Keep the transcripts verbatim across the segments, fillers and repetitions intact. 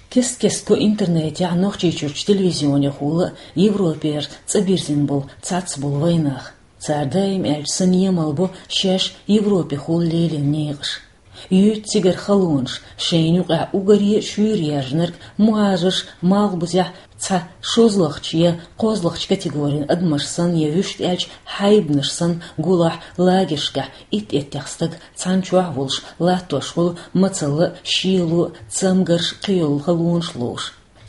Кест-кеста го интернетехь Нохчийчуьрчу телевизионехула а Европера цӀа бирзина болу цхьацца болу вайнах. Цара даим аьлча санна емал бо шаьш Европехула лелийна некъаш. Юьйцу цигара халонаш, шайна юкъахь уггаре а шуьйра яьржинарг мухӀажарш малхбузехь цхьа шозлагӀчу я кхозлагӀчу категорин адамаш санна я вуьшта аьлча хьайбанаш санна гулахь лагершкахь итт-иттех стаг цхьана чохь а волуш латтош волу мацалла а, шело а, цамгарш а, кхийолу халонаш ловш.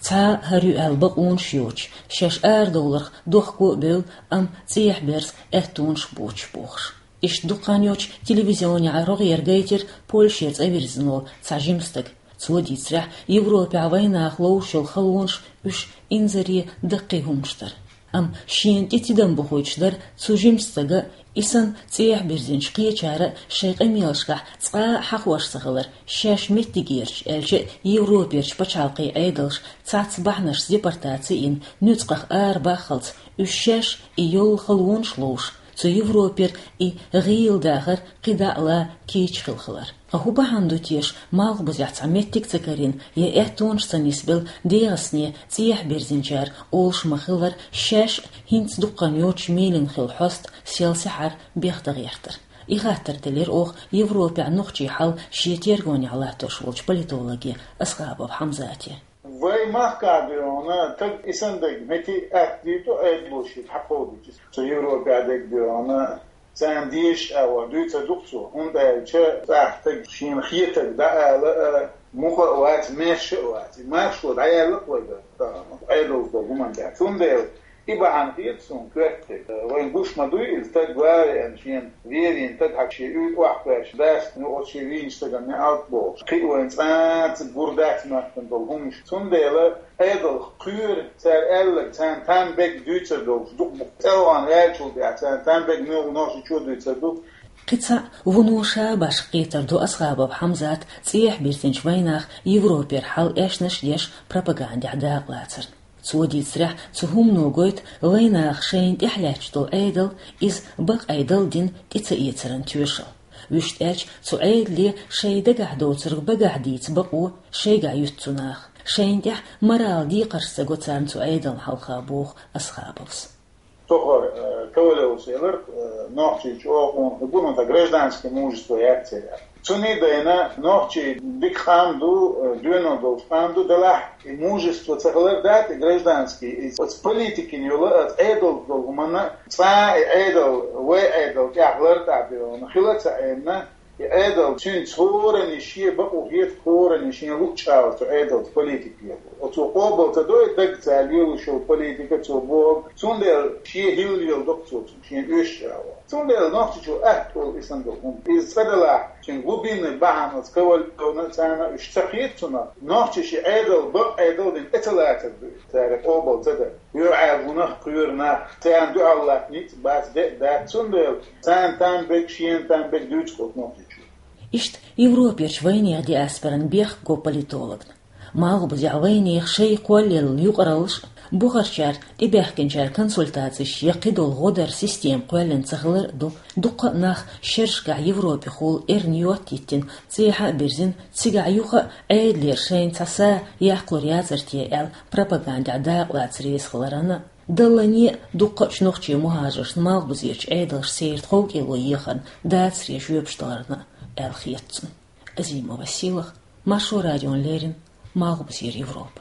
Цхьа а хӀара ю аьлла бакъонаш йоцуш, шаьш арадовларх дохко а бевлла, амма цӀехьа берза аьттонаш боцуш бохуш. Иштта дукха хан йоцуш телевизионехь рогӀера гайтира Польшера цӀа вирзина волу цхьа жима стаг. Цо дийцарехь, Европехь вайнах ловш йолу халонаш уьш инзаре даккхий хӀуманаш дара. Амма шена тӀе тидам бохуьйтуш дара цу жима стага, и санна цӀехьа бирзинчу кхечара а шайн къамелашкахь цкъа а хьахош ца хилар, шаьш меттигерчу, аьлча а Европерчу пачхьалкхийн Ӏедалша цхьацца бахьанашца депортаци йина, нуьцкъах арабаххалц, уьш шаьш и йолу халонаш ловш, цу Европера и гӀийла дахар кхидӀа а лан кийча хилла хилар. Ткъа хӀун бахьана ду теша малхбузехь цхьа меттиг а ца карийна я аьттонаш ца нисбелла ДегӀастане цӀехьа бирзинчара олуш ма-хиллара, шаьш а хӀинца дукха хан йоцуш мелина хилла хьоста сел-сахьар бехдан гӀертар? И хаттар делира оха Европехь нохчийн хьал шен тергонехь латтош волчу политологе Асхабов Хьамзате. Вайн махкахь дуьйна стаг и санна дерг метта атта дийр ду, Ӏедало шега хьакховдийча. Цу Европехь дерг дуьйна царна дезаш а ван дуьйцур ду-кх цо, хӀунда аьлча цхьа стаг шена хетарг дӀаала а, мукъа а вац, маьрша а вац. И маршо дӀаяьлла-кх вайга, Ӏедалца долу хӀуманна тӀехь. Цундела и бахьана хета суна коьртехь. Вайна гуш ма дуй иза, стаг ван а веана, шена вен вийна стаг хьа шен уьйтӀа охьакхоьссича, дас, ну, оцу шен вийначу стагана неӀалт бохуш. Кхин а вайна цкъа а гур дац моьттина долу хӀуманаш. Цундела Ӏедалх кхоьру, цара аьлларг, царна там бегга дуьйцур долуш ду-кх боху. ЦӀе вахана ваьллачул тӀаьхьа царна там бегга муьлхха нохчичо а дуьйцур ду. Кхин цхьаъ вуно ша башха кхетар ду Асхабов Хьамзата цӀехьа бирзинчу вайнаха Европера хьал эшнаш а деш пропагандехь дакъалацарна. Цо дийцарехь, цу хӀумано гойту вайнаха шайна тӀехь лаьтташ долу Ӏедал, иза бакъ Ӏедал дина тӀе ца эцаран тоьшалла. Вуьшта аьлча, цу Ӏедале шайн дагахь доцург багахь дийца бакъо шайгахь юьту цу наха. Шайна тӀехь морал декхарш ца го царна цу Ӏедална хьалха, боху Асхабовс. Тохара, э, Ковалевс элира, э, нохчийн чӀогӀа къонах ду, ну, тӀаккха гражданский мужество яц церан. Цунна а дайна, нохчий дика къам ду, э, доьналла долчу къам ду, делахь и мужество ца хилар дац, и гражданский, и оцу политикина йолу, оцу Ӏедалца долу хӀуманна, цкъа а и Ӏедал, вай Ӏедал тӀехь лартӀахь бевлла хила а ца Ӏемина, и Ӏедал цуьнца хӀоранна шен бакъо хета, хӀоранна шен луъучу агӀор цу Ӏедалца политика лело. Оцо къобал ца до и дагца лелош йолу политика, цо бохург, цундела шен хӀилла леладо-кх цо цунна, шена оьшучу агӀор. Цундела нохчичо атта олу и санна долу хӀума. Иза цкъа делахь, шен глубинный бахьана оцу Ковалевна а, царна а уьш ца хета цунах, нохчаша и Ӏедал бакъ Ӏедал дина тӀе ца лацар ду иза, цара къобал ца дан. ЙоьӀаьллачу хӀуманах кхоьру нах, царна дуьхьал латта ницкъ бац, де а дац, цундела царна там бегга, шена там бегга дуьйцу-кх оцу нохчичо. Иштта Европерчу вайнехан диаспоран бехк го политологна. Малхбузехь вайнехан шайн кхоллаелла юкъараллаш а, бухарчара тӀебаьхкинчара консультацеш я кхидолу гӀо дар система кхоьллина ца хилар а ду. Дуккха а нах шерашкахь Европехула эрна йоттайиттина, цӀехьа а бирзина, цигахь юха а Ӏедалера шайна цхьа са яккхалур яцар те аьлла, пропагандехь дакъалаца реза хиларна а, даллане а дуккха а чу нохчийн мухӀажаршна малхбузерчу Ӏедалша церан тховкӀело ехарна дацаре жоьпаш даларна а аьлла хета цунна. Азимова Сийлаха, Маршо радиона леррина, Малхбузера Европа.